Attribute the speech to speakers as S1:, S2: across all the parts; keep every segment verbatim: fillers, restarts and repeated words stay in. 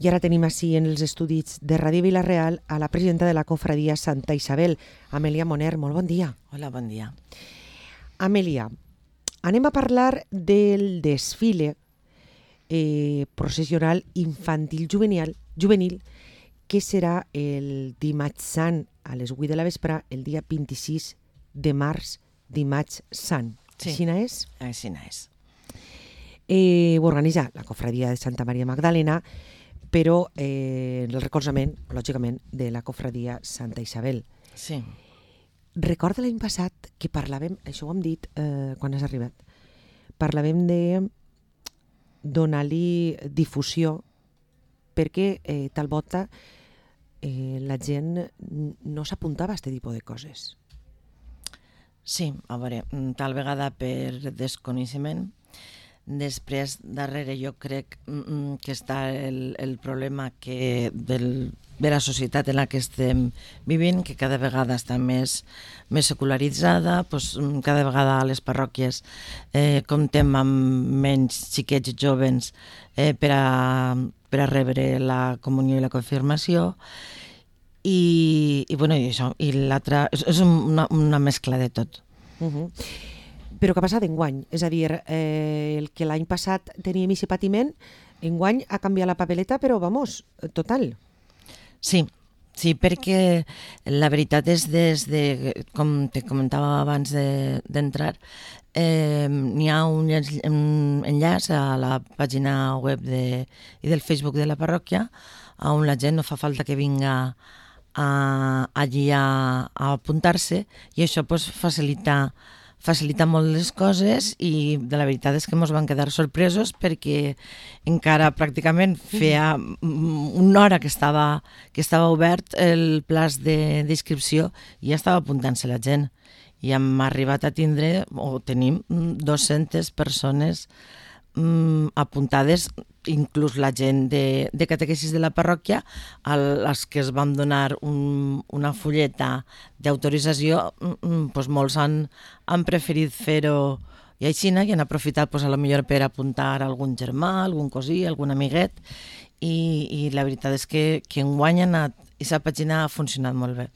S1: I ara tenim així en els estudis de Ràdio Vila-real a la presidenta de la cofradia Santa Isabel, Amèlia Moner. Molt bon dia.
S2: Hola, bon dia.
S1: Amèlia, anem a parlar del desfile eh, processional infantil juvenil, juvenil que serà el dimarts sant a les vuit de la vespre, el dia vint-i-sis de març, dimarts sant.
S2: Sí.
S1: Així és?
S2: Així és.
S1: Eh, ho organitza la cofradia de Santa Maria Magdalena, però eh, el recolzament, lògicament, de la cofradia Santa Isabel.
S2: Sí.
S1: Recorda l'any passat que parlàvem, això ho hem dit eh, quan has arribat, parlàvem de donar-li difusió perquè eh, tal volta eh, la gent no s'apuntava a aquest tipus de coses.
S2: Sí, a veure, tal vegada per desconeixement. Després, darrere, jo crec mm, que està el, el problema que del, de la societat en la que estem vivint, que cada vegada està més, més secularitzada, doncs, cada vegada a les parròquies eh, comptem amb menys xiquets joves eh, per, a, per a rebre la comunió i la confirmació, i, i, bueno, i això, i l'altra, és, és una, una mescla de tot.
S1: Uh-huh. Però què ha passat enguany? És a dir, eh, el que l'any passat teníem aquest patiment, enguany ha canviat la papeleta, però, vamos, total.
S2: Sí, sí, perquè la veritat és des de, com te comentava abans d'entrar, de, eh, n'hi ha un enllaç a la pàgina web de, i del Facebook de la parròquia, on la gent no fa falta que vinga a, allí a, a apuntar-se, i això pues, facilita facilita molt les coses, i de la veritat és que ens van quedar sorpresos perquè encara pràcticament feia una hora que estava, que estava obert el plaç d'inscripció i ja estava apuntant-se la gent. I hem arribat a tindre, o tenim, dues-centes persones mm, apuntades, inclús la gent de, de catequesis de la parròquia, a les que es vam donar un, una fulleta d'autorització, mm, doncs molts han, han preferit fer-ho i així, i han aprofitat doncs, a lo millor per apuntar algun germà, algun cosí, algun amiguet, i, i la veritat és que, que enguany ha anat, i sa pàgina ha funcionat molt bé.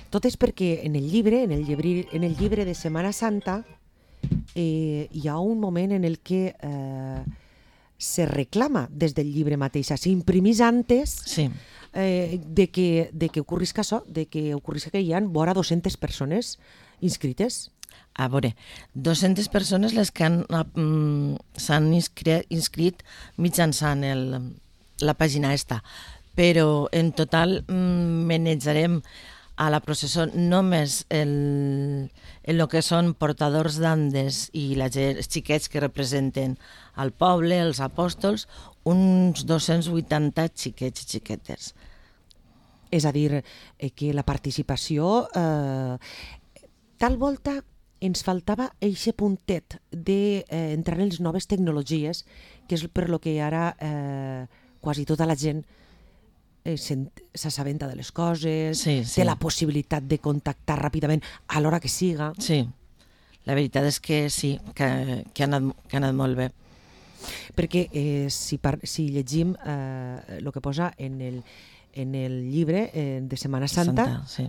S1: Tot és perquè en el llibre, en el llibre, en el llibre de Setmana Santa, eh, hi ha un moment en el que eh, se reclama des del llibre mateix, s'imprimís antes
S2: sí.
S1: eh, de, que, de que ocorrisca això, de que ocorrisca que hi ha vora dues-centes persones inscrites.
S2: A veure, dues-centes persones les que han, mm, s'han inscrit, inscrit mitjançant el, la pàgina esta, però en total mm, manejarem a la processó només el, el que són portadors d'andes i la, els xiquets que representen al poble, els apòstols, uns dos-cents vuitanta xiquets i xiquetes.
S1: És a dir, eh, que la participació... Eh, tal volta ens faltava eixe puntet d'entrar eh, en les noves tecnologies, que és per lo que ara eh, quasi tota la gent s'assabenta de les coses,
S2: sí, sí.
S1: té la possibilitat de contactar ràpidament a l'hora que siga.
S2: Sí, la veritat és que sí, que, que, ha, anat, que ha anat molt bé.
S1: Perquè eh, si, par si llegim eh, el que posa en el, en el llibre eh, de Setmana Santa,
S2: Santa sí.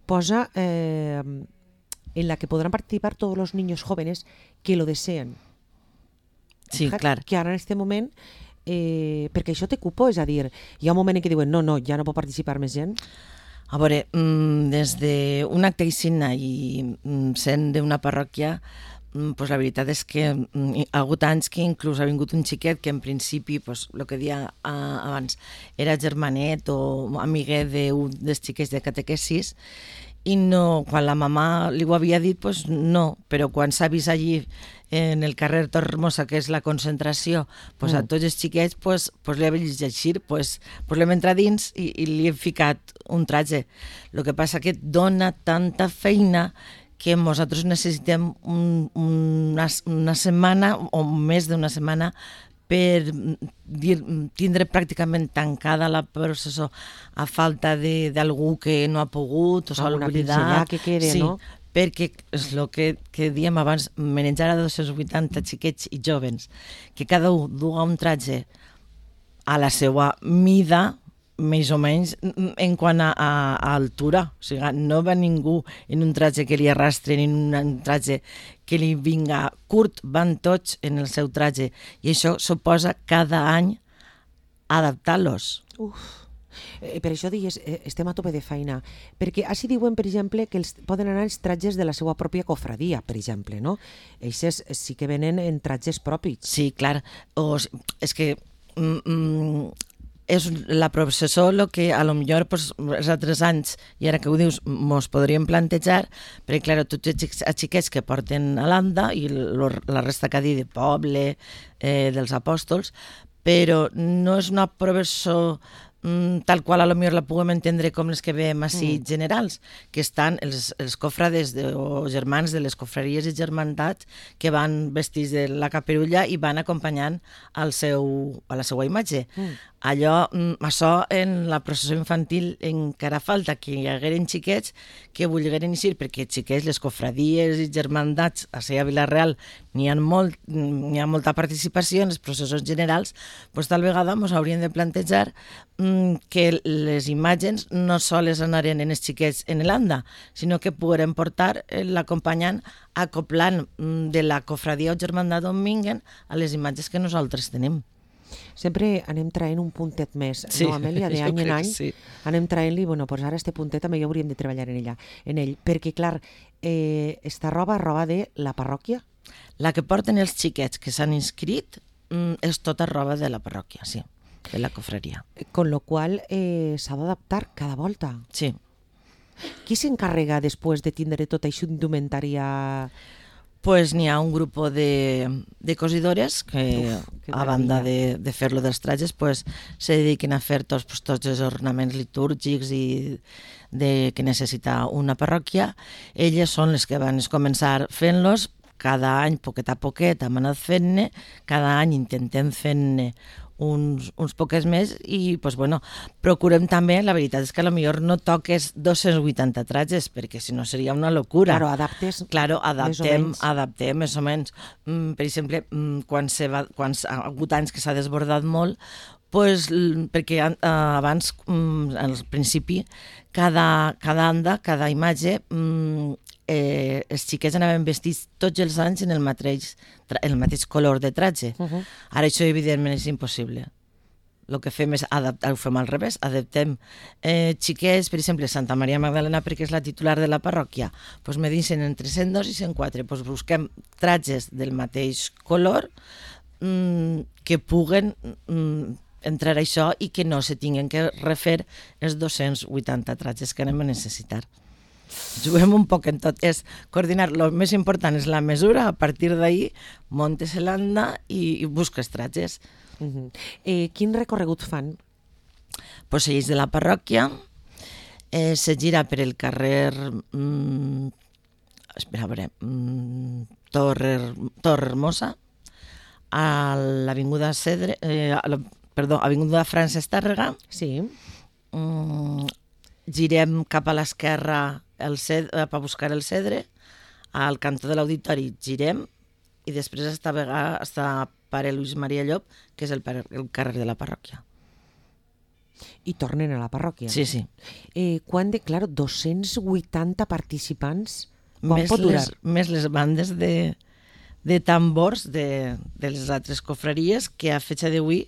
S1: posa eh, en la que podran participar tots els niños jóvenes que lo deseen.
S2: Sí,
S1: Fíjate,
S2: clar.
S1: Que ara en este moment... Eh, perquè això té cupo, és a dir, hi ha un moment en què diuen no, no, ja no pot participar més gent.
S2: A veure, des d'un acte aixina i sent d'una parròquia, pues la veritat és que hi ha hagut anys que inclús ha vingut un xiquet que en principi, pues, el que dia abans, era germanet o amiguet d'un dels xiquets de catequesis, i no, quan la mamà li ho havia dit, pues no, però quan s'ha vist allí en el carrer Torremosa, que és la concentració, pues mm. a tots els xiquets pues, pues li ha vist llegir, pues, pues l'hem entrat dins i, i li hem ficat un traje. El que passa que dona tanta feina que nosaltres necessitem un, una, una setmana o més d'una setmana per dir, tindre pràcticament tancada la processó a falta d'algú que no ha pogut o s'ha oblidat.
S1: Que quede,
S2: sí,
S1: no?
S2: Perquè és el que, que diem abans, manejar a dos-cents vuitanta xiquets i jovens, que cada un duga un traje a la seva mida, més o menys, en quant a, a, a altura. O sigui, no va ningú en un traje que li arrastre, ni en un traje que li vinga curt, van tots en el seu traje. I això suposa cada any adaptar-los.
S1: Uf. Eh, per això digues, eh, estem a tope de feina, perquè així diuen, per exemple, que els, poden anar els trajes de la seva pròpia cofradia, per exemple, no? Eixes sí que venen en trajes propis.
S2: Sí, clar. O, és que mm, mm, és la processó el que a lo millor pues, els altres anys, i ara que ho dius, mos podríem plantejar, perquè clar, tots els xiquets que porten a l'anda i lo, la resta que ha dit de poble, eh, dels apòstols, però no és una processó tal qual a lo millor la puguem entendre com les que veiem així mm. generals, que estan els, els cofrades de, o germans de les cofreries i germantats que van vestits de la caperulla i van acompanyant al seu, a la seva imatge. Mm. Allò, això en la processó infantil encara falta que hi hagueren xiquets que volgueren eixir, perquè xiquets, les cofradies i germandats a Sella Vila-real n'hi ha, molt, n'hi ha molta participació en les processons generals, doncs tal vegada ens hauríem de plantejar que les imatges no soles anaren en els xiquets en l'anda, sinó que pogueren portar l'acompanyant acoplant de la cofradia o germandat on vinguen a les imatges que nosaltres tenim.
S1: Sempre anem traient un puntet més,
S2: sí,
S1: no, Amèlia? D'any en any
S2: sí.
S1: Anem traient-li, bueno, doncs ara este puntet també ja hauríem de treballar en, ella, en ell, perquè, clar, eh, esta roba, roba de la parròquia?
S2: La que porten els xiquets que s'han inscrit mm, és tota roba de la parròquia, sí, de la cofreria.
S1: Con lo qual eh, s'ha d'adaptar cada volta.
S2: Sí.
S1: Qui s'encarrega després de tindre tota aquesta indumentària?
S2: Pues n'hi ha un grup de, de cosidores que, Uf, a banda de, de fer-lo dels trajes, pues, se dediquen a fer tots, pues, tots els ornaments litúrgics i de, que necessita una parròquia. Elles són les que van començar fent-los, cada any, poquet a poquet, hem anat fent-ne, cada any intentem fent-ne uns, uns poques més i pues, bueno, procurem també, la veritat és que a lo millor no toques dos-cents vuitanta trajes perquè si no seria una locura.
S1: Claro, adaptes
S2: claro, adaptem,
S1: més
S2: adaptem més o menys. Mm, per exemple, mm, quan, se va, quan ha hagut anys que s'ha desbordat molt, pues, perquè eh, abans, mm, al principi, cada, cada anda, cada imatge, mm, eh, els xiquets anaven vestits tots els anys en el mateix, el mateix color de traje. Uh -huh. Ara això evidentment és impossible. El que fem és adaptar, ho fem al revés, adaptem eh, xiquets, per exemple, Santa Maria Magdalena, perquè és la titular de la parròquia, doncs me dicen entre cent dos i cent quatre, doncs busquem trajes del mateix color mmm, que puguen mmm, entrar a això i que no se tinguin que refer els dos-cents vuitanta trajes que anem a necessitar. Juguem un poc en tot, és coordinar, el més important és la mesura, a partir d'ahir montes l'anda i, i busques trajes.
S1: Uh -huh. eh, quin recorregut fan?
S2: Pues ells de la parròquia, eh, se gira per el carrer mm, espera, a veure mm, Torre, Torre Hermosa, a l'avinguda Cedre, eh, a la, perdó, avinguda Francesc Tàrrega.
S1: Sí.
S2: Mm, girem cap a l'esquerra el ced, per buscar el Cedre, al cantó de l'auditori girem i després està, està Pare Lluís Maria Llop, que és el, el carrer de la parròquia.
S1: I tornen a la parròquia?
S2: Sí, sí.
S1: Eh, quan de, clar, dos-cents vuitanta participants, com
S2: més
S1: pot durar?
S2: Les, més les bandes de, de tambors de, de les altres cofreries, que a fecha d'avui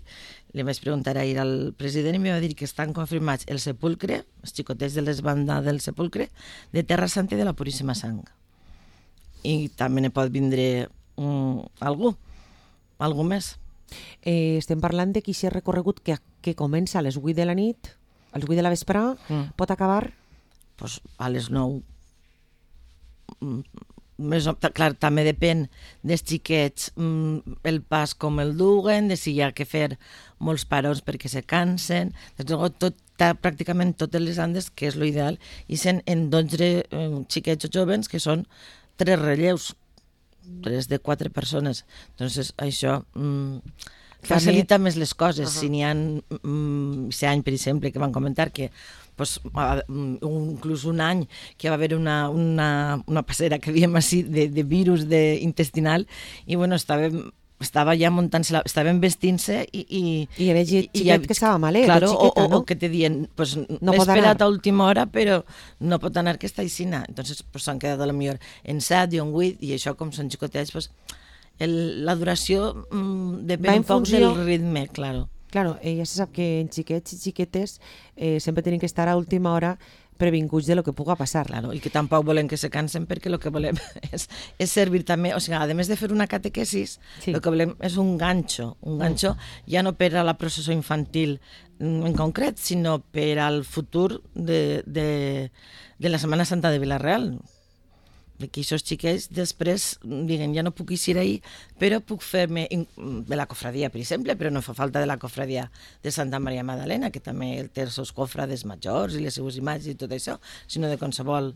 S2: li vaig preguntar ahir al president i em va dir que estan confirmats el sepulcre, els xicotets de les bandes del sepulcre, de Terra Santa i de la Puríssima Sang. I també ne pot vindre um, algú, algú més.
S1: Eh, estem parlant de qui s'ha recorregut que, que comença a les vuit de la nit, a les vuit de la vesprà, mm. pot acabar?
S2: Pues a les nou. Mm. Més, clar, també depèn dels xiquets el pas com el duguen, de si hi ha que fer molts parons perquè se cansen. Tot, pràcticament totes les andes, que és l'ideal, i són en dotze eh, xiquets o jovens que són tres relleus, tres de quatre persones. Doncs això mm, facilita més les coses. Uh -huh. Si n'hi ha mm, aquest any, per exemple, que van comentar que pues, inclús un any que va haver una, una, una passera que diem així de, de virus de intestinal i bueno, estàvem estava ja muntant-se, la, estaven vestint-se i... I,
S1: I era xiquet i, i, que estava malet,
S2: claro,
S1: xiqueta,
S2: o,
S1: no?
S2: o que te dient, pues,
S1: no
S2: m'he esperat
S1: anar.
S2: a última hora, però no pot anar que està aixina. Entonces, pues, s'han quedat a lo millor en set i en vuit, i això, com són xicotets, pues, el, la duració mm, depèn un poc
S1: funció...
S2: del ritme, claro.
S1: Claro, eh, ja se sap que en xiquets i xiquetes eh, sempre tenen que estar a última hora previnguts de lo que puga passar.
S2: Claro, i que tampoc volem que se cansen perquè el que volem és, és servir també, o sigui, a més de fer una catequesis, sí. El que volem és un ganxo, un ganxo mm. ja no per a la processó infantil en concret, sinó per al futur de, de, de la Setmana Santa de Vila-real. Que aquests xiquets després diguen, ja no puc eixir ahir, però puc fer-me de la cofradia, per exemple, però no fa falta de la cofradia de Santa Maria Magdalena, que també té els seus cofrades majors i les seues imatges i tot això, sinó de qualsevol.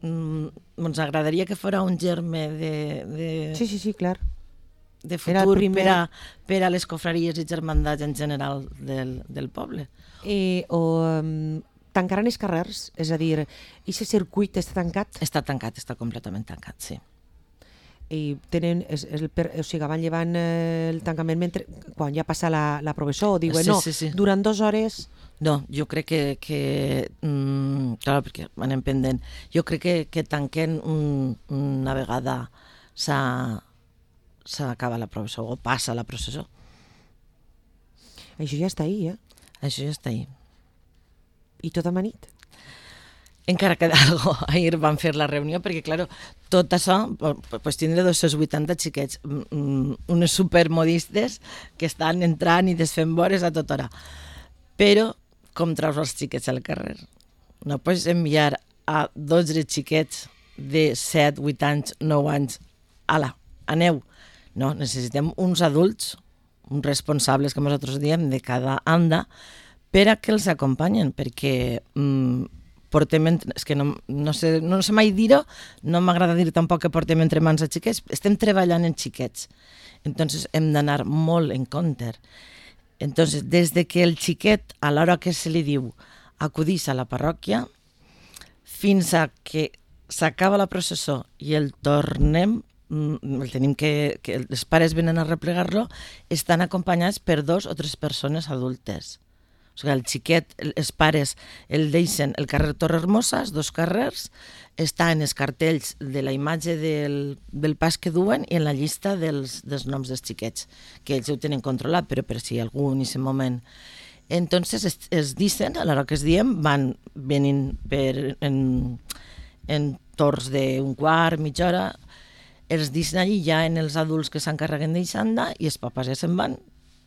S2: Mm, ens agradaria que fos un germe de, de,
S1: sí, sí, sí, clar.
S2: de futur primer... per, a, per a les cofraries i germandats en general del, del poble.
S1: Eh, o... Um... tancaran els carrers? És a dir, aquest circuit està tancat?
S2: Està tancat, està completament tancat, sí.
S1: I tenen, és, és el, o sigui, van llevant el tancament mentre, quan ja passa la, la professor, o diuen,
S2: sí,
S1: no,
S2: sí, sí.
S1: durant dues hores...
S2: No, jo crec que, que mm, clar, perquè anem pendent, jo crec que, que tanquen un, una vegada s'acaba la professor, o passa la processó.
S1: Això ja està ahí, eh?
S2: Això ja està ahí.
S1: I tot amanit?
S2: Encara queda algo. Ahir van fer la reunió perquè, clar, tot això, pues, tindre dos cents vuitanta xiquets, unes supermodistes que estan entrant i desfent vores a tota hora. Però, com treus els xiquets al carrer? No pots enviar a dotze xiquets de set, vuit anys, nou anys, ala, aneu. No, necessitem uns adults, uns responsables, com nosaltres diem, de cada anda, per a que els acompanyen, perquè mm, portem, entre, és que no, no, sé, no sé mai dir-ho, no m'agrada dir tampoc que portem entre mans a xiquets, estem treballant en xiquets, entonces hem d'anar molt en compte. Entonces, des de que el xiquet, a l'hora que se li diu, acudís a la parròquia, fins a que s'acaba la processó i el tornem, el tenim que, que els pares venen a replegar-lo, estan acompanyats per dos o tres persones adultes. O sigui, el xiquet, els pares el deixen el carrer Torre Hermosa, els dos carrers, està en els cartells de la imatge del, del pas que duen i en la llista dels, dels noms dels xiquets, que ells ho tenen controlat, però per si algú en aquest moment. Entonces es, es dicen, a l'hora que es diem, van venint per, en, en torns d'un quart, mitja hora, els dicen allí ja en els adults que s'encarreguen d'Ixanda i els papes ja se'n van.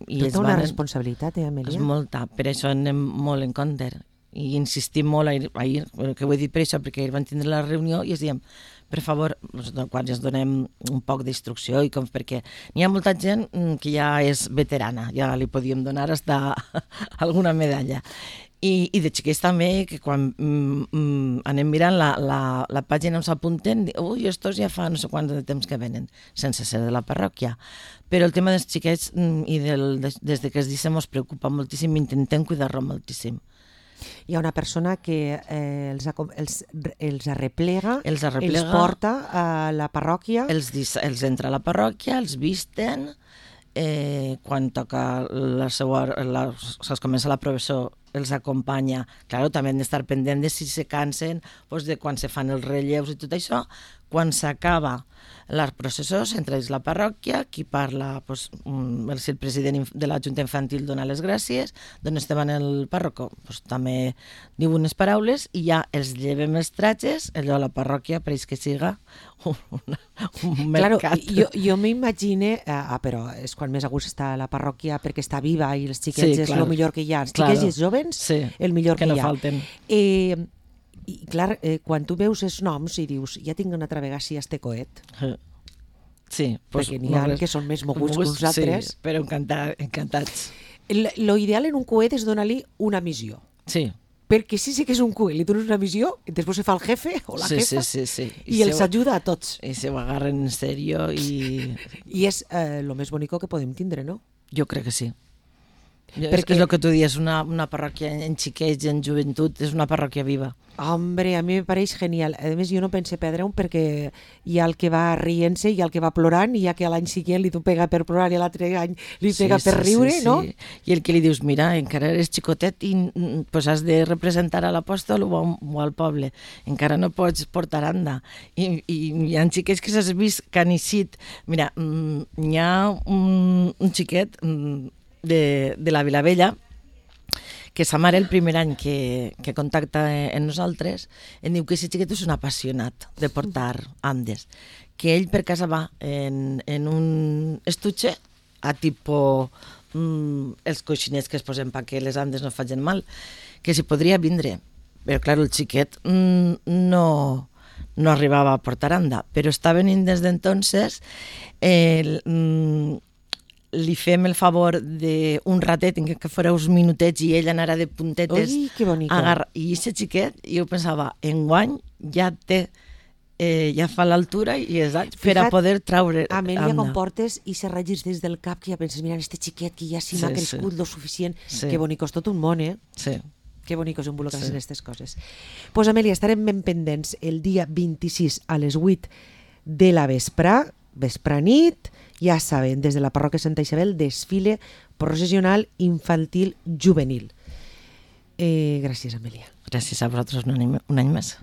S2: I
S1: tota una van... responsabilitat, eh, Amèlia?
S2: És molta, per això anem molt en compte. I insistim molt ahir, ahir, que ho he dit per això, perquè ahir van tindre la reunió i es diem, per favor, quan ens donem un poc d'instrucció, i com perquè n'hi ha molta gent que ja és veterana, ja li podíem donar hasta alguna medalla. I, i de xiquets també, que quan mm, mm, anem mirant la, la, la pàgina on s'apunten, ui, estos ja fa no sé quant de temps que venen, sense ser de la parròquia. Però el tema dels xiquets mm, i del, des, des de que es dissem ens preocupa moltíssim, intentem cuidar-lo moltíssim.
S1: Hi ha una persona que eh, els, els, els arreplega,
S2: els arreplega,
S1: els porta a la parròquia.
S2: Els, els entra a la parròquia, els visten, eh, quan toca la seva, la, es comença la professó, els acompanya. Claro, també hem d'estar pendent de si se cansen, doncs de quan se fan els relleus i tot això. Quan s'acaba la processó, s'entra dins la parròquia, qui parla, doncs, el, el president de la Junta Infantil dona les gràcies, d'on estaven el pàrroco, doncs, també diu unes paraules i ja els llevem els tratges, allò a la parròquia pareix que siga un, un mercat.
S1: Claro, jo, jo m'imagine, ah, però és quan més a gust està la parròquia perquè està viva i els xiquets sí, és el millor que hi ha. Els xiquets claro. I els jovens, sí, el millor que,
S2: que no
S1: hi ha.
S2: Falten.
S1: Eh, I clar, eh, quan tu veus els noms i dius, ja tinc una altra vegada si este coet.
S2: Sí. Pues,
S1: perquè n'hi ha res... que són més moguts que nosaltres.
S2: Sí, però encantat, encantats.
S1: El, lo ideal en un coet és donar-li una missió.
S2: Sí.
S1: Perquè si sí que és un coet, li dones una missió, i després se fa el jefe o la
S2: sí,
S1: jefa,
S2: sí, sí, sí.
S1: i, I els ho, ajuda a tots.
S2: I se ho agarren en sèrio i...
S1: I és eh, lo més bonico que podem tindre, no?
S2: Jo crec que sí. Perquè... És el que tu dius, una, una parròquia en xiquets, en joventut, és una parròquia viva.
S1: Hombre, a mi me pareix genial. A més, jo no pense perdre-ho perquè hi ha el que va rient-se, hi ha el que va plorant, i hi ha que a l'any següent li pega per plorar i l'altre any li pega sí, per sí, riure, sí, no? Sí.
S2: I el que li dius, mira, encara eres xicotet i pues, has de representar a l'apòstol o, o al poble. Encara no pots portar anda. I, i hi ha xiquets que s'has vist que han eixit. Mira, hi ha un, un xiquet de, de la Vilavella que sa mare el primer any que, que contacta amb nosaltres em diu que aquest xiquet és un apassionat de portar andes, que ell per casa va en, en un estuche a tipo mm, els coixinets que es posen perquè les andes no facin mal, que si podria vindre, però clar, el xiquet mm, no, no arribava a portar anda, però està venint des d'entonces el... Mm, li fem el favor d'un ratet en què fora uns minutets i ell anara de puntetes.
S1: Ui, que bonica.
S2: Agarra... I aquest xiquet, jo pensava, enguany ja té, eh, ja fa l'altura i exacte, per a poder traure...
S1: Amèlia, com portes i se regis des del cap que ja penses, mira, este xiquet que ja sí m'ha sí, crescut sí. lo suficient. Sí. Que bonico, és tot un món, eh?
S2: Sí.
S1: Que bonico és involucrar-se sí. en aquestes coses. Doncs pues, Amèlia, estarem ben pendents el dia vint-i-sis a les vuit de la vesprà, vesprà nit. Ja saben, des de la parròquia Santa Isabel, desfile processional infantil juvenil. Eh, gràcies, Amèlia.
S2: Gràcies a vosaltres un any, un any més.